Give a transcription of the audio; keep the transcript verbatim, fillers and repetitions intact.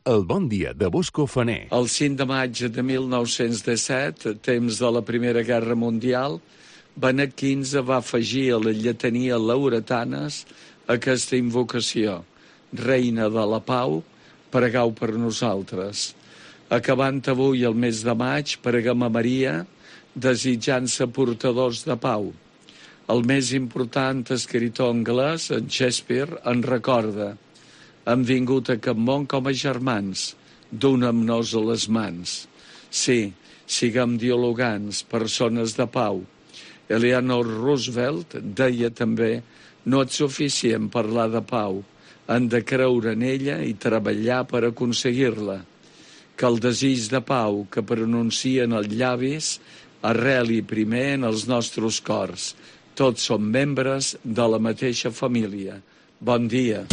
El bon dia de Bosco Faner. El cinc de maig de mil nou-cents disset, temps de la Primera Guerra Mundial, Benet quinze va afegir a la lletania lauretanes aquesta invocació: Reina de la Pau, pregueu per nosaltres. Acabant avui el mes de maig, preguem a Maria, desitjant-se portadors de pau. El més important escriptor anglès, en Shakespeare, en recorda: hem vingut a aquest món com a germans, donem-nos a les mans. Sí, siguem dialogants, persones de pau. Eleanor Roosevelt deia també: no és suficient parlar de pau, hem de creure en ella i treballar per aconseguir-la. Que el desig de pau que pronuncien els llavis arreli primer en els nostres cors. Tots som membres de la mateixa família. Bon dia.